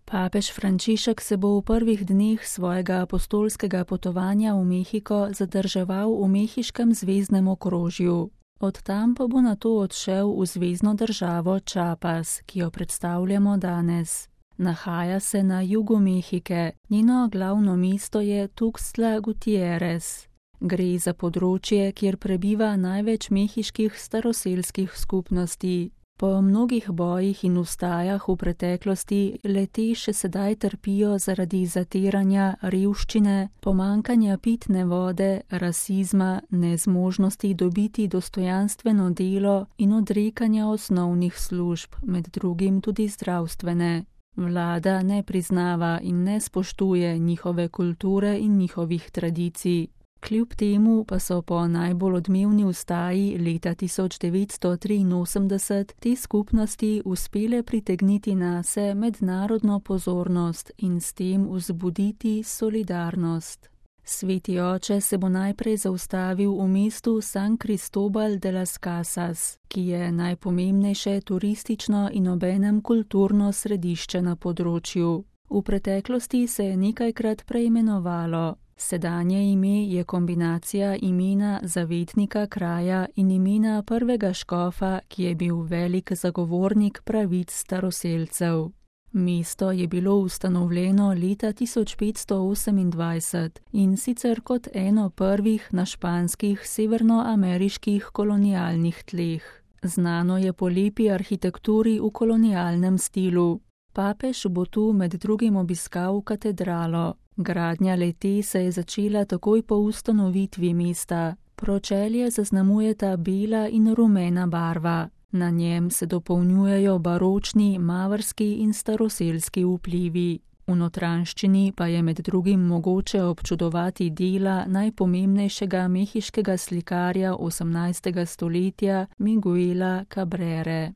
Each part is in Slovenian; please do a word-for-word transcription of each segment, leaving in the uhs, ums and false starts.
Papež Frančišek se bo v prvih dneh svojega apostolskega potovanja v Mehiko zadrževal v mehiškem zvezdnem okrožju. Od tam pa bo nato odšel v zvezno državo Chiapas, ki jo predstavljamo danes. Nahaja se na jugu Mehike, njeno glavno mesto je Tuxtla Gutiérrez. Gre za področje, kjer prebiva največ mehiških staroselskih skupnosti. Po mnogih bojih in vstajah v preteklosti le-te še sedaj trpijo zaradi zatiranja, revščine, pomanjkanja pitne vode, rasizma, nezmožnosti dobiti dostojanstveno delo in odrekanja osnovnih služb, med drugim tudi zdravstvene. Vlada ne priznava in ne spoštuje njihove kulture in njihovih tradicij. Kljub temu pa so po najbolj odmevni vstaji leta tisoč devetsto triinosemdeset te skupnosti uspele pritegniti nase mednarodno pozornost in s tem vzbuditi solidarnost. Sveti oče se bo najprej zaustavil v mestu San Cristóbal de las Casas, ki je najpomembnejše turistično in obenem kulturno središče na področju. V preteklosti se je nekajkrat preimenovalo. Sedanje ime je kombinacija imena zavetnika kraja in imena prvega škofa, ki je bil velik zagovornik pravic staroselcev. Mesto je bilo ustanovljeno leta tisoč petsto osemindvajset in sicer kot eno prvih na španskih severnoameriških kolonialnih tleh. Znano je po lepi arhitekturi v kolonialnem stilu. Papež bo tu med drugim obiskal katedralo. Gradnja le-te se je začela takoj po ustanovitvi mesta. Pročelje zaznamujeta bela in rumena barva. Na njem se dopolnjujejo baročni, mavrski in staroselski vplivi. V notranjščini pa je med drugim mogoče občudovati dela najpomembnejšega mehiškega slikarja osemnajstega stoletja Miguela Cabrere.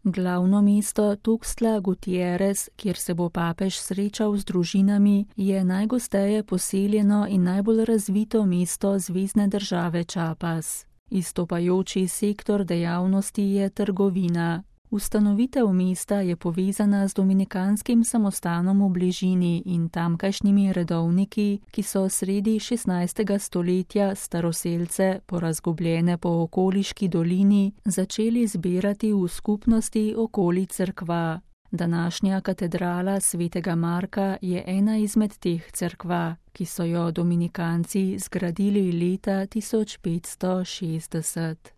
Glavno mesto Tuxtla Gutiérrez, kjer se bo papež srečal z družinami, je najgosteje poseljeno in najbolj razvito mesto zvezne države Chiapas. Izstopajoči sektor dejavnosti je trgovina. Ustanovitev mesta je povezana z dominikanskim samostanom v bližini in tamkajšnjimi redovniki, ki so sredi šestnajstega stoletja staroselce, porazgubljene po okoliški dolini, začeli zbirati v skupnosti okoli cerkva. Današnja katedrala svetega Marka je ena izmed teh cerkva, ki so jo dominikanci zgradili leta tisoč petsto šestdeset.